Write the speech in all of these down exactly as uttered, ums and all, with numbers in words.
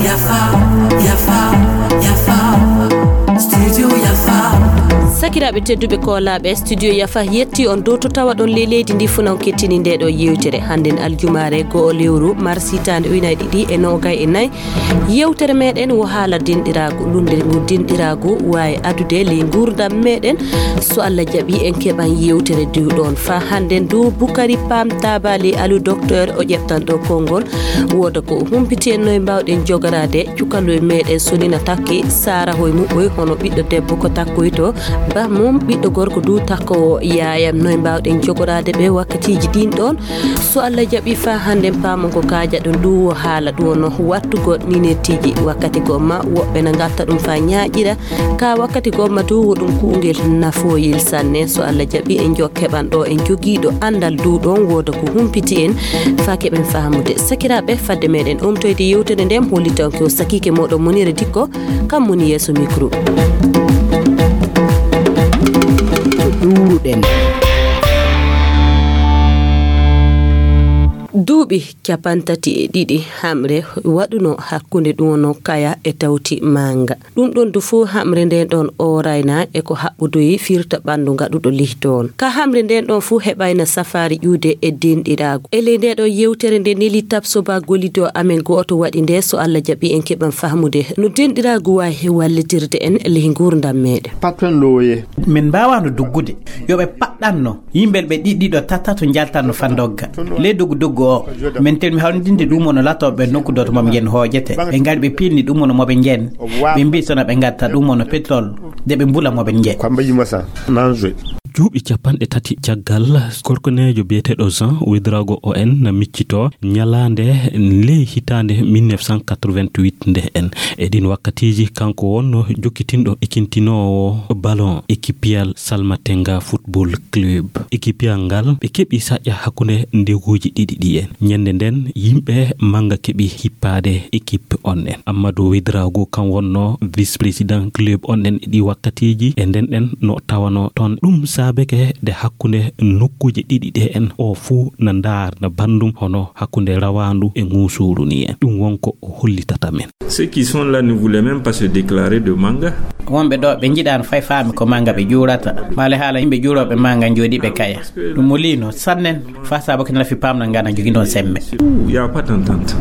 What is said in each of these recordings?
Yafa, yafa, yafa. Studio Yafa. Sakiraaɓe tedduɓe koolaaɓe, Studio Yafa yetti on dow to tawa ɗon ley leydi ndi fuu non kettini nde ɗo yewtere. Hannden aljumaare go'o lewru mars hitaande ujunaaji ɗiɗi e noogay e nayi. Yewtere meɗen wo haala denɗiraagu, lunnde ngu denɗiraagu waawi adude ley nguurndam meɗen. So Allah jaɓi en keɓan yewtere diwɗon. Faa hannden du Bukari Pam Tabali Alu Docteur o ƴeɓtan ɗo konngol. Wooda ko o humpiti en noy mbaawɗen jogoraade cukalel meɗen sonina takki saara hoy muɓɓoy hono ɓiɗɗo debbo ko takkoyto ba mum ɓiɗɗo gorko du takkowo yaayam noy mbaawɗen jogoraade ɓe wakkatiiji ɗin ɗon. So Allah jaɓi faa hannden paamon ko kaajaɗon ɗum wo haala ɗum wonno wattugol ninertiiji wakkati gomma woɓɓe na ngatta ɗum faa ñaaƴira ka wakkati gomma du wo ɗum kuungel nafoyel sanne. So Allah jaɓi en jokkeɓan ɗo en jogiiɗo anndal du ɗon wooda ko humpiti en faa keɓen faamude. Sakiraaɓe, fadde meɗen omtoyde yewtere nden hollitanke o sakiike moɗon Monire Dikko kam woni yeeso micro. Ɗuuruɗen. Duuɓi capantati e ɗiɗi hamre waɗuno hakkunde ɗum wono kaya e tawti manga. Ɗum ɗon du fuu hamre nden ɗon oorayna e ko haɓɓudoyi firta ɓanndu ngaɗuɗo lihdoon. Ka hamre nden ɗon fuu heɓayna safaari ƴuude e denɗiraagu. E ley nde ɗo yewtere nde neli tabsoba gollido amen gooto waɗi nde so Allah jaɓi en keɓan fahmude no denɗiraagu waawi wallitirde en ley nguurndam meɗen. Patron looye. Min mbaawano duggude. Yo ɓe paɗɗanno. Yimɓe ɓe ɗiɗɗiɗo tatato njaltanno fandogga. Ley doggu doggu o, min telmi hawrindinde ɗum wonno latooɓe nokku doto mom yen hoojete. Ɓe ngari ɓe pilni ɗum wonno moɓe njen. Ɓe mbi sona ɓe ngatta ɗum wonno pétrole, de ɓe mbula moɓe njen. Kwamba Yimasa, Nanjwe. Duuɓi capanɗe tati caggal, korkoneejo biyeteeɗo Jean Ouedraogo O N na miccitoo ñalaande ley hitaande mille neuf cent quatre-vingt-huit nde en. E ɗin wakkatiiji, kanko wonno jokkitinɗo ekintinoowo ballon ekipiyal Salmatenga Football Club. Ekipiyal ngal ɓe keɓi saƴƴa hakkunde ndeguuji ɗiɗi ɗi en. Ñande nden, yimɓe manga keɓi hippaade ekip on en. Amadou Ouedraogo kan wonno vice-président club on en e ɗi wakkatiiji. E nden ɗen no tawano ton. Ɗum saabeke de hakkunde nokkuuje ɗiɗi ɗe en o fuu na ndaarna banndum hono hakkunde rawaandu e ŋuusuuru ni en. Ɗum won ko o hollitata men. Ceux qui sont là ne voulaient même pas se déclarer de manga. Wonɓe ɗo ɓe njiɗaano fay faami ko manga ɓe ƴuurata. Maale haala yimɓe ƴuurooɓe manga njooɗiiɓe kaya. Ɗum mo liino sannen faa saabake nafi paamna ngana jogi ɗon semme. Il y a pas d'entente.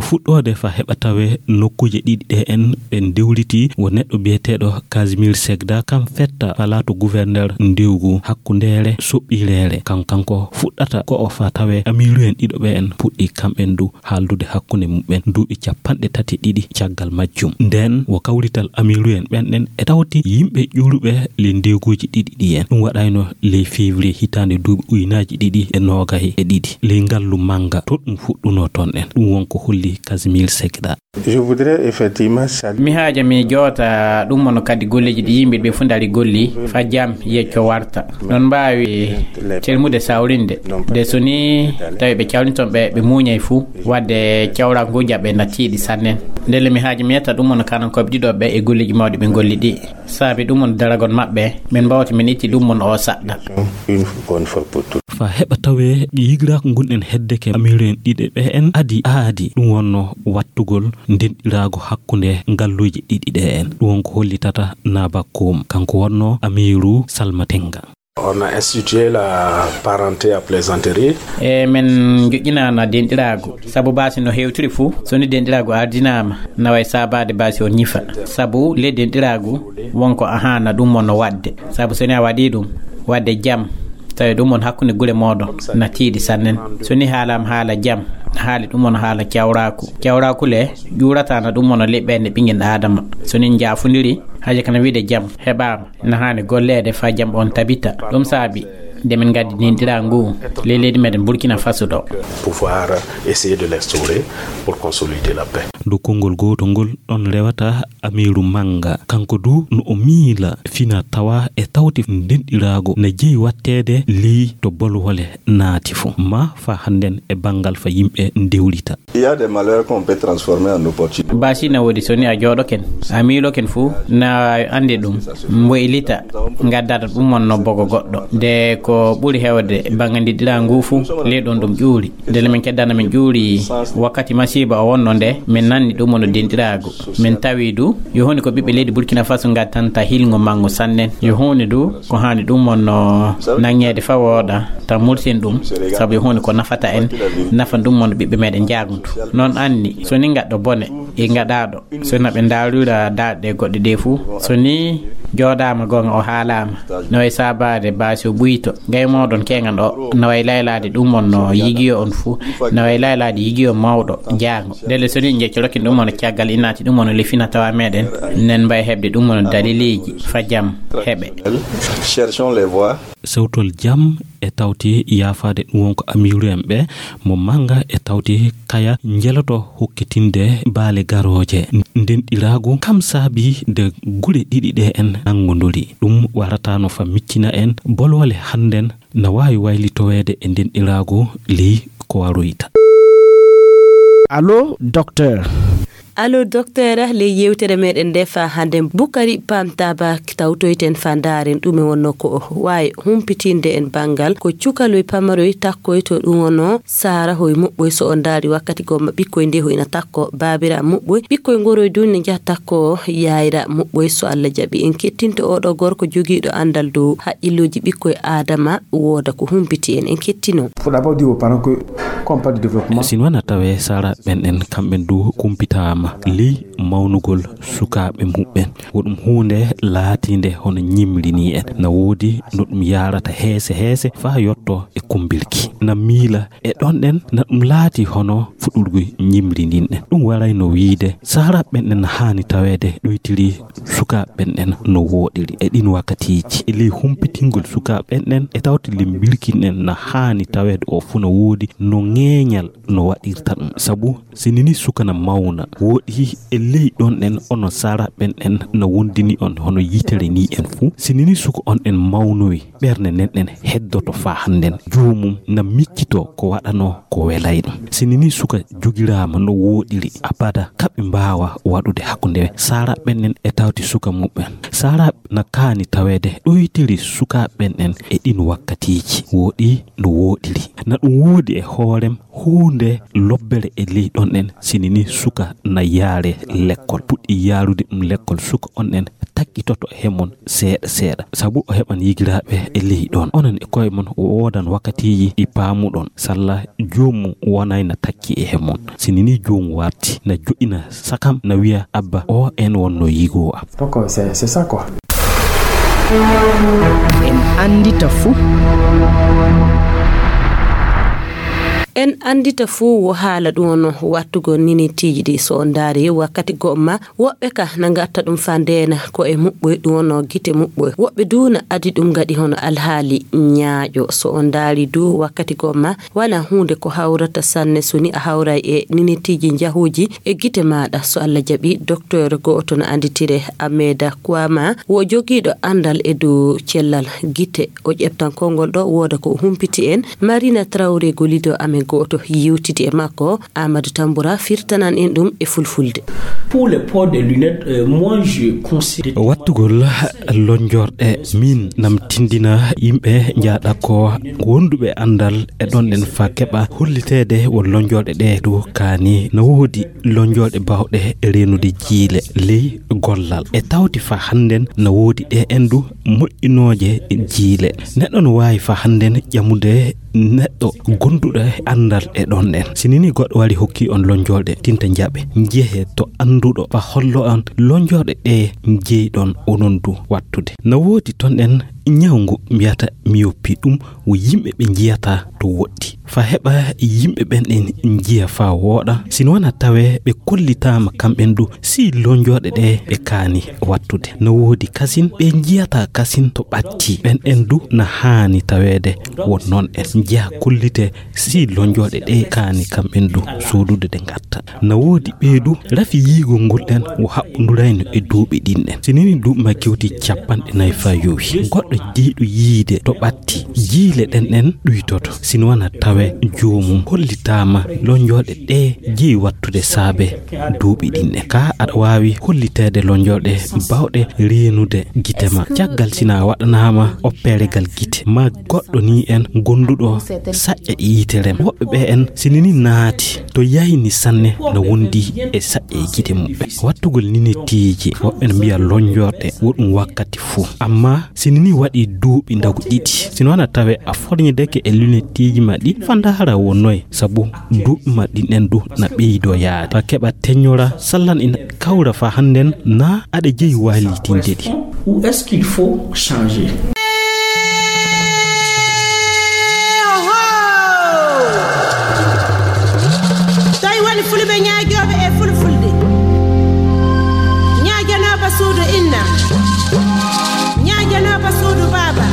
Fuɗɗoode fa heɓa tawe nokkuuje ɗiɗi ɗe en ɓe ndewliti wo neɗɗo biyeteeɗo Casimir Segda kam fetta palaato gouverneur ndewgu hakkundeere soɓɓireere. Kan kanko fuɗɗata ko o fa tawe amiiru en ɗiɗo ɓe en puɗɗi kamɓen du haaldude hakkunde muɓɓen duuɓi capanɗe tati ɗiɗi caggal majjum. Nden wo kawrital amiiru en ɓen ɗen e tawti yimɓe ƴuuruɓe ley ndeeguuji ɗiɗi ɗi en. Ɗum waɗayno ley février hitaande duuɓi ujunaaji ɗiɗi e noogay e ɗiɗi. Ley ngallu manga to ɗum fuɗɗunoo ton en. Ɗum won ko holli Casimir Segda. Je voudrais effectivement saluer. Mi haaja mi joota ɗum mono kadi golleeji ɗi yimɓe ɓe fuu ndari golli fa jam yecco warta. Non mbaawi telmude sawrinde. De so ni tawi ɓe cawrinton ɓe, ɓe muuñay fuu, wadde cawra ngu jaɓe na tiiɗi sannen. Ndelle mi haaja mi yetta ɗum mono kanankooɓe ɗiɗo ɓe e golleeji mawɗi ɓe ngolli ɗi. Saabi ɗum on daragol maɓɓe, min mbawti min itti ɗum on o saɗɗa. Une bonne fois pour toutes. Fa heɓa tawe yigiraaku ngun en heddeke amiiru en ɗiɗe ɓe en adi aadi ɗum wonno wattugol ndenɗiraago hakkunde ngalluuje ɗiɗi ɗe en. Ɗum won ko hollitata Naba Koum, kanko wonno amiiru Salmatenga. On a institué la parenté à plaisanterie. E men joƴƴinaano denɗiraagu, sabu baasi no hewtiri fuu, so ni denɗiraagu ardinaama, na way saabaade baasi on ñifa. Sabu le denɗiraagu, wonko ahaana ɗum on no waɗde. Sabu so ni a waɗii ɗum, waɗde jam, tawi ɗum on hakkunde gure mooɗon na tiiɗi sannen. So ni haalaama haala jam, haali ɗum on haala cawraaku. Cawraaku le, ƴuurataana ɗum on liɓɓe nde ɓinngel Aadama. So ni njaafondiri, haja kana wiide jam heɓaama. Na haani golleede faa jam on tabita. Ɗum saabi nde min ngaddi denɗiraagu ngu ley leydi meɗen Burkina Faso ɗo. Pouvoir essayer de l'instaurer pour consolider la paix. Dow konngol gootol ngol ɗon rewata Amiiru Mannga, kanko du no o miila fina tawa e tawti ndenɗiraagu na jeyi waɗteede ley to bolwole naati fu, ma faa hannden e banngal fa yimɓe ndewrita. Il y a des malheurs qu'on peut transformer en opportunités. Baasi na woodi, so ni a jooɗoken, a miiloken fu, na anndi ɗum, mboylita, ngaddata ɗum wonno bogo goɗɗo. De ko ɓuri heewde banngandiɗiraa ngu fu, ley ɗon ɗum ƴuuri. Ndelle min keddana min ƴuuri wakkati masiiba o wonno nde, min nanni ɗum wonno denɗiraagu. Min tawi du, yo huunde ko ɓiɓɓe leydi Burkina Faso ngattanta hilngo manngo sanne. Yo huunde du, ko haani ɗum wonno nanŋeede fa wooɗa, ta mursin ɗum, sabu yo huunde ko nafata en, nafa ɗum wonno ɓiɓɓe meɗen jaaguntu. Noon anni, so ni ngaɗɗo bone, e ngaɗaaɗo, so na ɓe ndaarira daaɗe goɗɗe ɗe fu, so ni jooɗaama goonga o haalaama, no e saabaade baasi o ɓuyto, gay mooɗon keeŋan o, no way laylaade ɗum on no yigiyo on fu, no way laylaade yigiyo mawɗo jaango. Ndelle so ni njeccoɗokin ɗum on caggal inaati ɗum on lefina tawa meɗen, nen mbay heɓde ɗum on daliliiji fa jam heɓe. Cherchons les voies. Sewtol jam e tawti yaafaade ɗum won ko amiiru en ɓe mo mannga e tawti kaya njeloto hokkitinde baale garooje. Ndenɗiraagu kam saabi de gure ɗiɗi ɗe en nanngondori. Ɗum warataano fa miccina en bolwole hannden na waawi waylitoweede e ndenɗiraagu ley ko waroyta. Allo, docteur. Allo, docteur, ley yewtere meɗen nde fa hannde, Bukari Pam Taba tawtoyten fa ndaaren ɗume wonno ko o waawi humpitinde en banngal ko cukaloy pamaroy takkoy to ɗum wonno saara hoy muɓɓoy. So on ndaari wakkati gomma ɓikkoy nde hoyna takko baabira muɓɓoy, ɓikkoy ngoroy du ne njaha takko yaayira muɓɓoy. So Allah jaɓi en kettinto oɗo gorko jogiiɗo anndal dow haqqillooji ɓikkoy Aadama wooda ko humpiti en, en kettino. Faut d'abord dire aux parents que, comme pas de développement. Sin wana tawe saara ɓen en kamɓen du kumpitaama ley mawnugol sukaaɓe muɓɓen. Wo ɗum huunde laatiinde hono ñimri ni en. Na woodi no ɗum yaarata heese heese faa yotto e kumbilki. Na miila e ɗon ɗen na ɗum laati hono fuɗurgu ñimri ndin ɗen. Ɗum warayno wiide saara ɓen en haani taweede ɗoytiri sukaaɓe ɓen en no wooɗiri e ɗin wakkatiiji. E ley humpitingol sukaaɓe ɓen en e tawti limbirki en na haani taweede o fuu no woodi no ŋeeñal no waɗirta ɗum. Sabu sinini suka na mawna, woɗi e ley ɗon ɗen ono saara ɓen en na wondini on hono yitere ni en fuu. Sinini suka on en mawnowi, ɓernde nden ɗen heddoto faa hannden. Joomum na miccito ko waɗano ko welay ɗum. Sinini suka jogiraama no wooɗiri abada, kaɓe mbaawa waɗude hakkunde saara ɓen en e tawti suka muɓɓen. Saara na kaani taweede ɗoytiri sukaaɓe ɓen en e ɗin wakkatiiji. Woɗi no wooɗiri. Na ɗum woodi e hoorem huunde lobbere e ley ɗon ɗen sinini suka na yaare lekkol. Puɗɗi yaarude ɗum lekkol suka on ɗen takkitoto he mon seeɗa seeɗa. Sabu o heɓan yigiraaɓe e ley ɗon. Onon e koye mon o woodan wakkatiiji ɗi paamuɗon. Salla joomum wonay na takki e he mon. Sinini joomum warti na joɗɗina sakam na wiya abba o en wonno yigoo am. Donc, c'est, c'est ça quoi. En anndita fuu. En anndita fuu wo haala ɗum wonno wattugol ninitiiji ɗi. So on ndaari wakkati gomma, woɓɓe ka na ngatta ɗum fa ndeena ko e muɓɓoy ɗum wonno gite muɓɓoy. Woɓɓe du na adi ɗum ngaɗi hono alhaali ñaaƴo. So on ndaari du wakkati gomma, wana huunde ko hawrata sanne so ni a hawray e ninitiiji njahuuji e gite maaɗa. So Allah jaɓi, docteur go'oto no annditire Ameda Kwama, wo jogiiɗo anndal e dow cellal gite. O ƴeftan konngol ɗo wooda ko o humpiti en. Marina Traoré gollido amen go'oto yewtidi e makko. Amadou Tamboura firtanan en ɗum e fulfulde. Pour le port des lunettes, euh, moi je conseille. Wattugol lonjorɗe, min nam tindina yimɓe njaaɗa ko wonduɓe anndal e ɗon ɗen fa keɓa holliteede won lonjorɗe ɗe du kaani. No woodi lonjorɗe bawɗe reenude jiile ley gollal. E tawti fa hannden no woodi ɗe en du moƴƴinooje jiile. Neɗɗo no waawi fa hannden ƴamude neɗɗo gonduɗo e anndal e ɗon ɗen. Sinini goɗɗo wari hokki on lonjorɗe, tinta njaɓe, njehe to annduɗo fa hollo on lonjorɗe ɗe njeyɗon onon du wattude. No woodi ton ɗen Ñaw ngu mbiyata miyoppi ɗum wo yimɓe ɓe njiyata to woɗɗi. Fa heɓa yimɓe ɓen ɗen njiya fa wooɗa, sino wona tawee ɓe kollitaama kamɓen du si lonjooɗe ɗe ɓe kaani wattude. No woodi kasin ɓe njiyata kasin to ɓatti, ɓen ɗen du na haani taweede wo non en njiya kollite si lonjooɗe ɗe kaani kamɓen du soodude ɗe ngatta. Na woodi ɓee du rafi yiigol ngol ɗen wo haɓɓondurayno e duuɓi ɗin ɗen. Si nini duuɓi ma kewti capanɗe nayi fa yowi, goɗɗo jeyɗo yiide to ɓatti, jiile ɗen ɗen ɗuytoto. Sino wona tawe joomum hollitaama lonjooɗe ɗe jeyi wattude saabe duuɓi ɗin ɗen. Ka aɗa waawi holliteede lonjooɗe bawɗe reenude gite ma. Caggal sina waɗanaama opperegal gite, ma goɗɗo ni en gonduɗo saƴƴe e yitere. Woɓɓe ɓe en, si nini naati to yayni sanne, na wondi e saƴƴe e gite muɓɓe. Wattugol ninettiiji, woɓɓe no mbiya lonjorɗe, wo ɗum wakkati fuu. Amma si nini waɗi duuɓi ndagu ɗiɗi, sino wona tawe a forñideke e lunettiiji ma ɗi, fa ndaara wo noy, sabu duuɓi ma ɗin ɗen du na ɓeydo yaade. Fa keɓa teññora, sallan ina kawra fa hannden na aɗa jeyi waalitinde ɗi. Où est-ce qu'il faut changer? Tawi woni fulɓe ñaagooɓe e fulfulde, ñaaganooɓe suudu inna, ñaaganooɓe suudu baaba,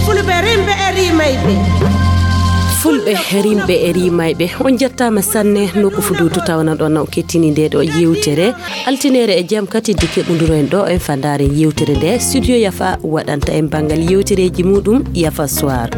fulɓe rimɓe e rimayɓe. Fulɓe rimɓe e rimayɓe, on njettaama sanne. Nokku Fuduudu tawana ɗon o kettini nde ɗo yewtere. Altineere e jam kadi nde keɓondiron ɗo en fa ndaaren yewtere nde. Studio Yafa waɗanta en banngal yewtereeji muɗum, Yafa Soir.